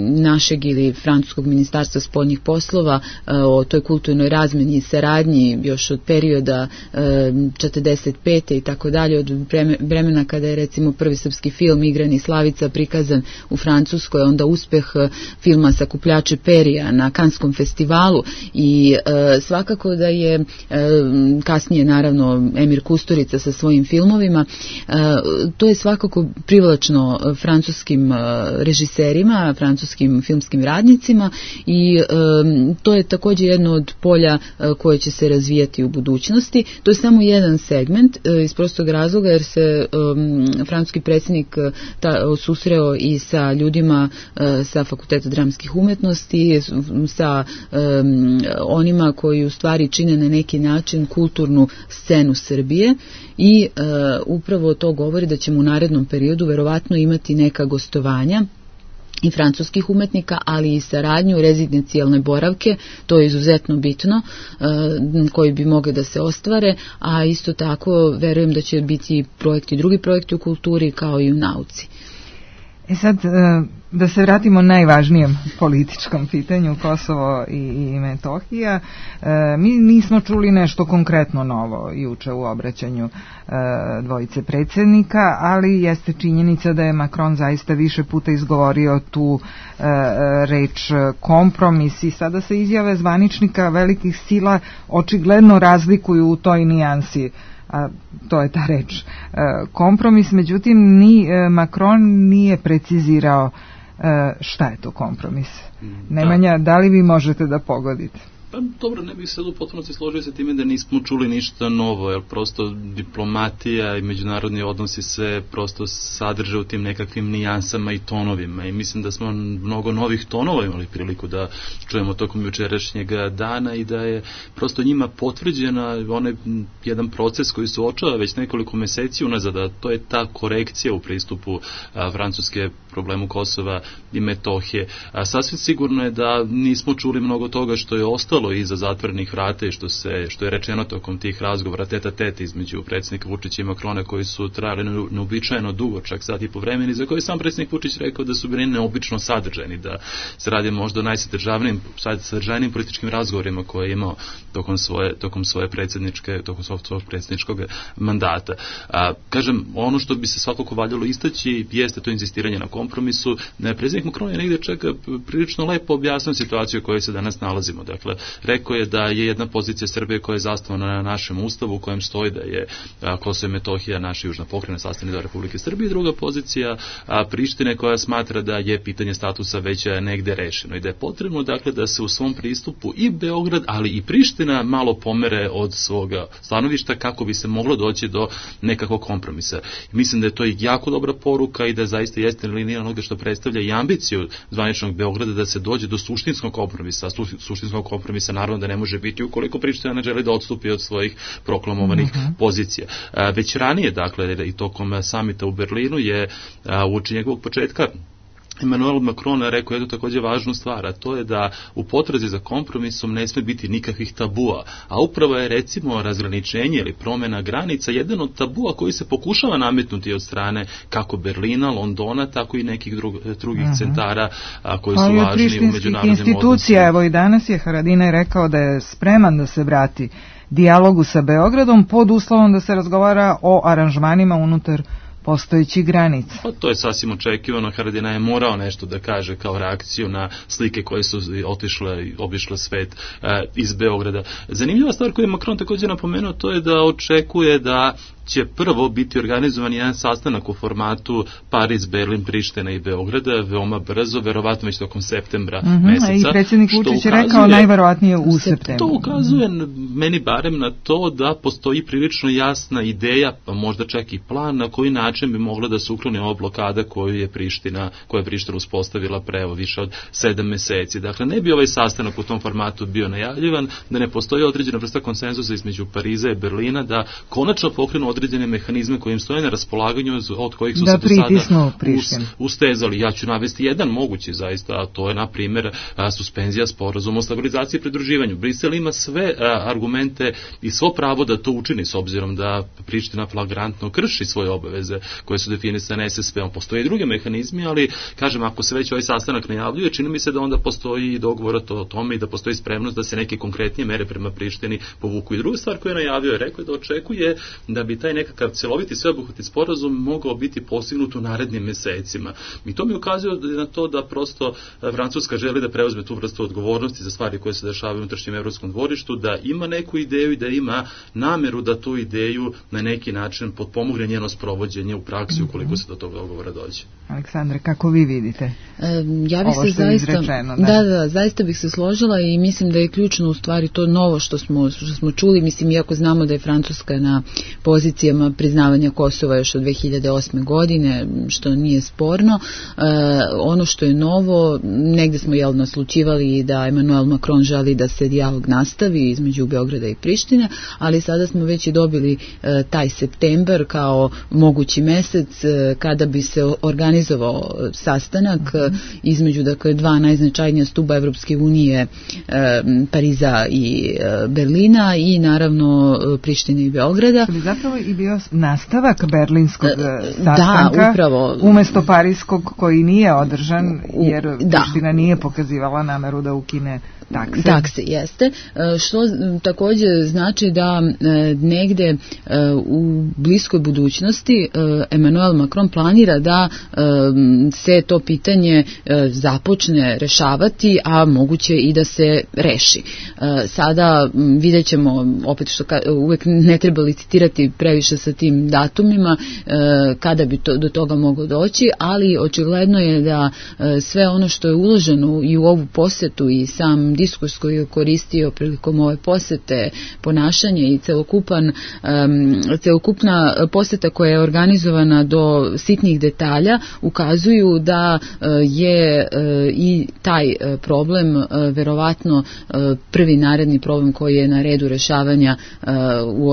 našeg ili francuskog ministarstva spoljnih poslova o toj kulturnoj razmeni i saradnji još od perioda 45. i tako dalje, od vremena kada je recimo prvi srpski film Igrani Slavica prikazan u Francuskoj, onda uspeh filma Sakupljače perija na Kanskom festivalu i svakako da je kasnije naravno Emir Kusturica sa svojim filmovima, to je svakako privlačno francuskim režiserima, francuskim filmskim radnicima i to je također jedno od polja koje će se razvijati u budućnosti. To je samo jedan segment iz prostog razloga jer se francuski predsjednik susreo i sa ljudima sa Fakulteta dramskih umetnosti, sa onima koji u stvari čine na neki način kulturnu scenu Srbije i upravo to govori da ćemo u narednom periodu verovatno imati neka gostovanja i francuskih umetnika, ali i saradnju, rezidencijalne boravke, to je izuzetno bitno, koji bi mogli da se ostvare, a isto tako verujem da će biti drugi projekti u kulturi kao i u nauci. Sad, da se vratimo najvažnijem političkom pitanju, Kosovo i Metohija. Mi nismo čuli nešto konkretno novo juče u obraćanju dvojice predsjednika, ali jeste činjenica da je Macron zaista više puta izgovorio tu reč kompromis i sada se izjave zvaničnika velikih sila očigledno razlikuju u toj nijansi, a to je ta reč kompromis. Međutim, ni Macron nije precizirao šta je to kompromis. Nemanja, da li vi možete da pogodite? Pa dobro, ne bih sad u potpunosti složio sa time da nismo čuli ništa novo, jer prosto diplomatija i međunarodni odnosi se prosto sadrže u tim nekakvim nijansama i tonovima i mislim da smo mnogo novih tonova imali priliku da čujemo tokom jučerašnjeg dana i da je prosto njima potvrđena onaj jedan proces koji se očava već nekoliko meseci unazad, a to je ta korekcija u pristupu Francuske problemu Kosova i Metohije. Sasvim sigurno je da nismo čuli mnogo toga što je ostalo iza zatvorenih vrata i što je rečeno tokom tih razgovora tete a tete između predsjednika Vučića i Macrona koji su trajali neobičajeno dugo, čak sat i po vremeni, za koje sam predsjednik Vučić rekao da su bili neobično sadržajni, da se radi možda o najsadržajnijim političkim razgovorima koje je imao tokom svog predsjedničkog mandata. Kažem, ono što bi se svakako valjalo istaći jeste to insistiranje na kompromisu. Predsjednik Macron je negdje čak prilično lepo objasnio situaciju u kojoj se danas nalazimo. Dakle, rekao je da je jedna pozicija Srbije koja je zasnovana na našem ustavu u kojem stoji da je Kosovo i Metohija naša južna pokrajina, sastavni deo Republike Srbije, i druga pozicija Prištine koja smatra da je pitanje statusa već negde rešeno i da je potrebno dakle da se u svom pristupu i Beograd, ali i Priština malo pomere od svoga stanovišta kako bi se moglo doći do nekakvog kompromisa. Mislim da je to jako dobra poruka i da zaista jeste linija onoga što predstavlja i ambiciju zvaničnog Beograda da se dođe do suštinskog kompromisa. Suštinskog kompromisa naravno da ne može biti ukoliko Priština ne želi da odstupi od svojih proklamovanih pozicija. Već ranije, dakle, i tokom samita u Berlinu je uoči njegovog početka Emmanuel Macron rekao jednu također važnu stvar, a to je da u potrazi za kompromisom ne sme biti nikakvih tabua, a upravo je recimo razgraničenje ili promjena granica jedan od tabua koji se pokušava nametnuti od strane kako Berlina, Londona, tako i nekih drugih centara koji su važni u međunarodnim institucija, evo i danas je Haradinaj rekao da je spreman da se vrati dijalogu sa Beogradom pod uslovom da se razgovara o aranžmanima unutar postojećih granica. Pa to je sasvim očekivano. Haradinaj je morao nešto da kaže kao reakciju na slike koje su obišle svet iz Beograda. Zanimljiva stvar koju je Macron također napomenuo, to je da očekuje da će prvo biti organizovan jedan sastanak u formatu Pariz, Berlin, Priština i Beograda, veoma brzo, verovatno već tokom septembra meseca. I predsjednik Vučić je rekao najverovatnije u septembru. To ukazuje meni barem na to da postoji prilično jasna ideja, pa možda čak i plan na koji način bi mogla da se ukloni ova blokada koju je Priština uspostavila pre više od 7 meseci. Dakle, ne bi ovaj sastanak u tom formatu bio najavljivan, da ne postoji određena vrsta konsenzusa između Pariza i Berlina, da konačno pokrenu određene mehanizme koji im stoje na raspolaganju, od kojih su se do sada ustezali. Ja ću navesti jedan mogući zaista, a to je na primjer suspenzija sporazuma o stabilizaciji i pridruživanju. Brisel ima sve argumente i svo pravo da to učini, s obzirom da Priština flagrantno krši svoje obaveze koje su definisane SSP-om. Postoje i druge mehanizmi, ali kažem, ako se već ovaj sastanak najavljuje, čini mi se da onda postoji i dogovor o tome i da postoji spremnost da se neke konkretnije mere prema Prištini povuku. I druga stvar koju je najavio je rekao da očekuje da bi taj nekakav celoviti sveobuhvatni sporazum mogao biti postignut u narednim mesecima. I to mi ukazuje na to da prosto Francuska želi da preuzme tu vrstu odgovornosti za stvari koje se dešavaju u unutrašnjem evropskom dvorištu, da ima neku ideju i da ima nameru da tu ideju na neki način potpomogne njeno sprovođenje u praksi ukoliko se do tog dogovora dođe. Aleksandre, kako vi vidite ja bih se zaista izrečeno, zaista bih se složila i mislim da je ključno u stvari to novo što smo čuli, mislim, iako znamo da je Francuska na poziciji pozicijama priznavanja Kosova još od 2008. godine, što nije sporno. Ono što je novo, negde smo naslučivali da Emmanuel Macron želi da se dijalog nastavi između Beograda i Prištine, ali sada smo već i dobili taj septembar kao mogući mesec kada bi se organizovao sastanak između dva najznačajnija stuba Evropske unije, Pariza i Berlina, i naravno Prištine i Beograda. Bi zapravo i bio nastavak berlinskog sastanka, da, upravo, umesto parijskog koji nije održan jer Priština nije pokazivala nameru da ukine takse. Takse, jeste. Što također znači da negde u bliskoj budućnosti Emmanuel Macron planira da se to pitanje započne rešavati, a moguće i da se reši. Sada vidjet ćemo, opet što uvek ne treba licitirati previše sa tim datumima, kada bi do toga moglo doći, ali očigledno je da sve ono što je uloženo i u ovu posetu i sam diskurs koji je koristio prilikom ove posete, ponašanje i celokupna poseta koja je organizovana do sitnih detalja ukazuju da je i taj problem verovatno prvi naredni problem koji je na redu rešavanja u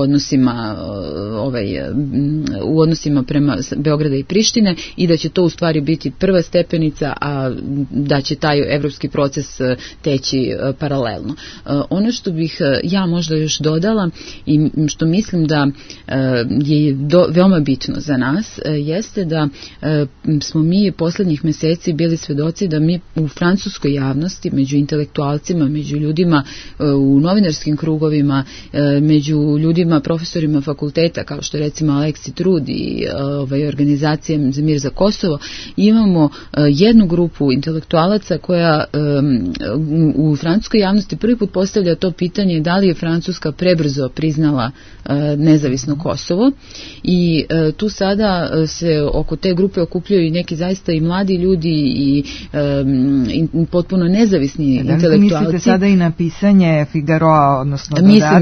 odnosima prema Beograda i Prištine, i da će to u stvari biti prva stepenica, a da će taj evropski proces teći paralelno. Ono što bih ja možda još dodala i što mislim da je veoma bitno za nas jeste da smo mi poslednjih meseci bili svedoci da mi u francuskoj javnosti, među intelektualcima, među ljudima u novinarskim krugovima, među ljudima, profesorima fakulteta, kao što je recimo Aleksi Trud i organizacija za mir za Kosovo, imamo jednu grupu intelektualaca koja u francuskoj javnosti prvi put postavlja to pitanje da li je Francuska prebrzo priznala nezavisno Kosovo, i tu sada se oko te grupe okupljaju i neki zaista i mladi ljudi i potpuno nezavisni intelektualci. Mislite sada i na pisanje Figaroa, odnosno dodatka,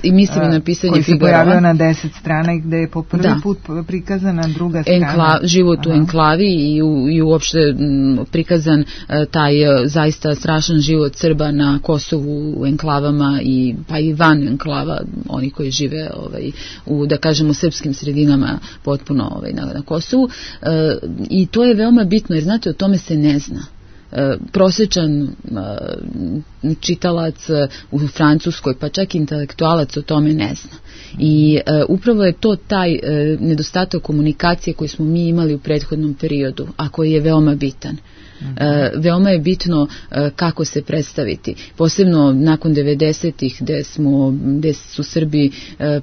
mislim i na pisanje koji se Figaroa, pojavio na 10 strana i gde je po prvi put prikazana druga strana. Život u enklavi i uopšte prikazan taj zaista strašan život Srba na Kosovu, u enklavama pa i van enklava, oni koji žive u, da kažemo, srpskim sredinama potpuno na Kosovu, i to je veoma bitno jer znate, o tome se ne zna. Prosječan čitalac u Francuskoj, pa čak intelektualac o tome ne zna. I upravo je to taj nedostatak komunikacije koji smo mi imali u prethodnom periodu, a koji je veoma bitan. Veoma je bitno kako se predstaviti, posebno nakon 90-ih gde su Srbi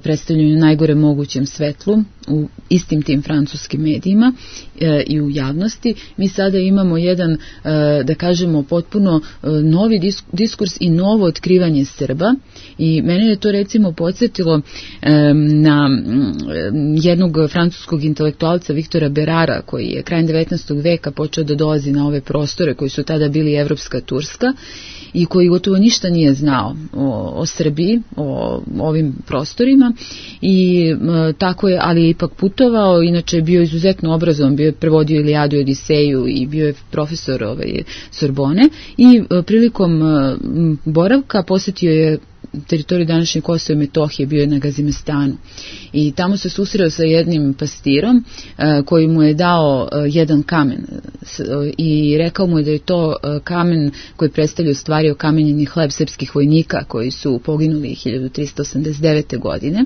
predstavljeni u najgore mogućem svetlu u istim tim francuskim medijima i u javnosti. Mi sada imamo jedan, da kažemo, potpuno novi diskurs i novo otkrivanje Srba, i mene je to recimo podsjetilo na jednog francuskog intelektualca Viktora Berara, koji je krajem 19. veka počeo da dolazi na ove prostore koji su tada bili Evropska Turska i koji gotovo ništa nije znao o Srbiji, o ovim prostorima, i tako je, ali je ipak putovao, inače je bio izuzetno obrazovan, bio je prevodio Ilijadu i Odiseju i bio je profesor Sorbone, i prilikom boravka posjetio je teritoriju današnje Kosova i Metohije, bio je na Gazimestanu i tamo se susreo sa jednim pastirom koji mu je dao jedan kamen i rekao mu je da je to kamen koji predstavlja u stvari okamenjeni hleb srpskih vojnika koji su poginuli 1389. godine,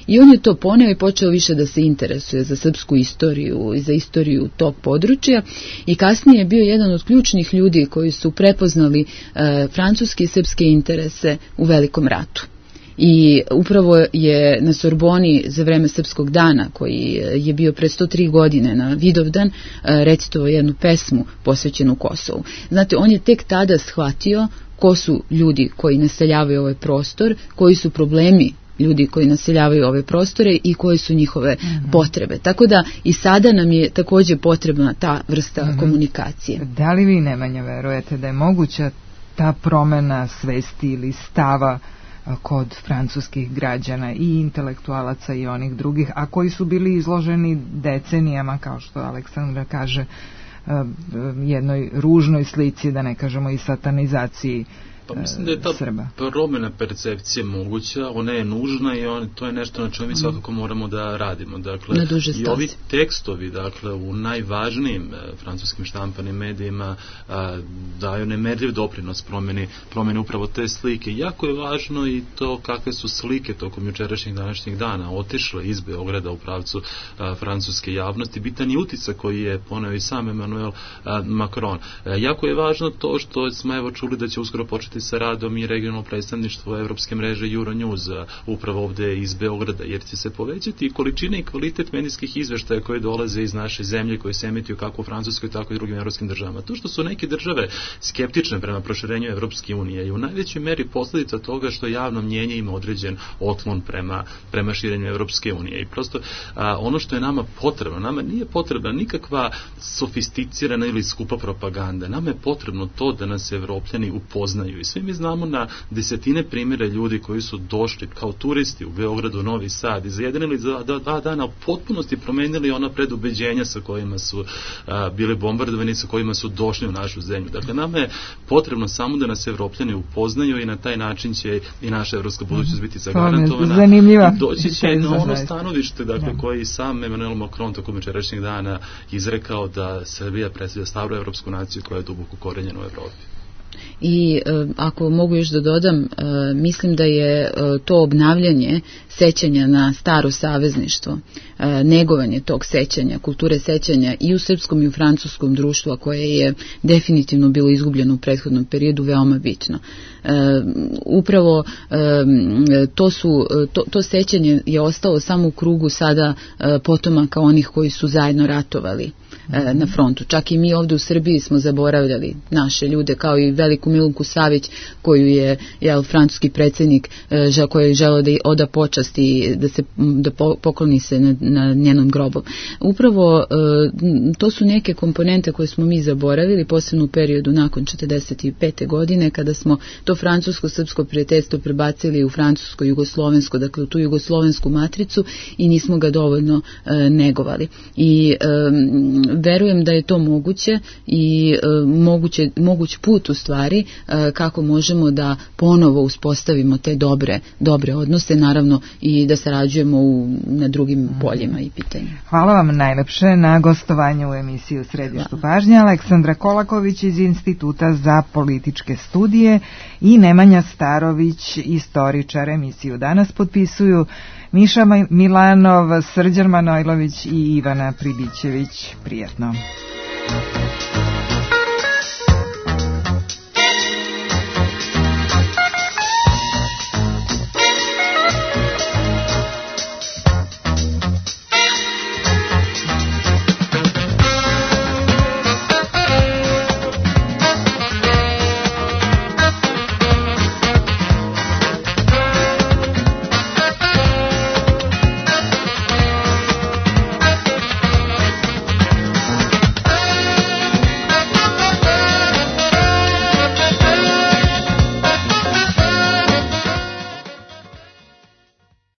i on je to poneo i počeo više da se interesuje za srpsku istoriju i za istoriju tog područja, i kasnije je bio jedan od ključnih ljudi koji su prepoznali francuske i srpske interese u Velikom ratu. I upravo je na Sorboni za vreme Srpskog dana, koji je bio pre 103 godine na Vidovdan, recitovao jednu pesmu posvećenu Kosovu. Znate, on je tek tada shvatio ko su ljudi koji naseljavaju ovaj prostor, koji su problemi ljudi koji naseljavaju ove prostore i koje su njihove potrebe. Tako da i sada nam je također potrebna ta vrsta komunikacije. Da li vi, Nemanja, verujete da je moguća ta promena svesti ili stava kod francuskih građana i intelektualaca i onih drugih, a koji su bili izloženi decenijama, kao što Aleksandra kaže, jednoj ružnoj slici, da ne kažemo i satanizaciji Pa mislim da je ta Srba. promjena percepcije moguća, ona je nužna i to je nešto na čemu mi svakako moramo da radimo. Dakle, i ovi tekstovi, dakle, u najvažnijim francuskim štampanim medijima daju nemerljiv doprinos promjeni upravo te slike. Jako je važno i to kakve su slike tokom jučerašnjih današnjih dana otišle iz Beograda u pravcu francuske javnosti. Bitan je utisak koji je poneo i sam Emmanuel Macron. Jako je važno to što smo evo čuli da će uskoro početi sa radom i regionalno predstavništvo evropske mreže Euronews upravo ovde iz Beograda, jer će se povećati količina i kvalitet medijskih izveštaja koje dolaze iz naše zemlje, koje se emituju kako u Francuskoj, tako i drugim evropskim državama. To što su neke države skeptične prema proširenju Evropske unije je u najvećoj meri posljedica toga što javno mnjenje ima određen otklon prema širenju Evropske unije. I prosto ono što je nama potrebno, nama nije potrebna nikakva sofisticirana ili skupa propaganda. Nama je potrebno to da nas Evropljani upoznaju. I svi mi znamo na desetine primjera ljudi koji su došli kao turisti u Beogradu, Novi Sad i za jedan ili za 2 dana u potpunosti promenili ona predubeđenja sa kojima su bili bombardovani, sa kojima su došli u našu zemlju. Dakle, nama je potrebno samo da nas Evropljani upoznaju i na taj način će i naša evropska budućnost biti zagarantovana. Zanimljiva. Doći će na ono stanovište, dakle, koji i sam Emmanuel Macron tokom jučerašnjeg dana izrekao da Srbija predstavlja staru evropsku naciju koja je duboko korenjena u Evropi. I ako mogu još da dodam, mislim da je to obnavljanje sećanja na staro savezništvo, negovanje tog sećanja, kulture sećanja i u srpskom i u francuskom društvu, a koje je definitivno bilo izgubljeno u prethodnom periodu, veoma bitno. Upravo to sećanje je ostalo samo u krugu sada potomaka onih koji su zajedno ratovali na frontu. Čak i mi ovdje u Srbiji smo zaboravljali naše ljude, kao i veliku Milunku Savić, koju je francuski predsjednik koji je želeo da oda počast i da pokloni se na njenom grobom. Upravo to su neke komponente koje smo mi zaboravili, posebno u periodu nakon 45. godine, kada smo to francusko-srpsko prijateljstvo prebacili u francusko-jugoslovensko, dakle u tu jugoslovensku matricu, i nismo ga dovoljno negovali. I verujem da je to moguće i moguć put u stvari kako možemo da ponovo uspostavimo te dobre odnose, naravno i da sarađujemo na drugim poljima i pitanjima. Hvala vam najlepše na gostovanju u emisiji U središtu pažnje. Aleksandra Kolaković iz Instituta za političke studije i Nemanja Starović, istoričar. Emisiju danas potpisuju Miša Milanov, Srđan Manojlović i Ivana Pribićević. Prijetno.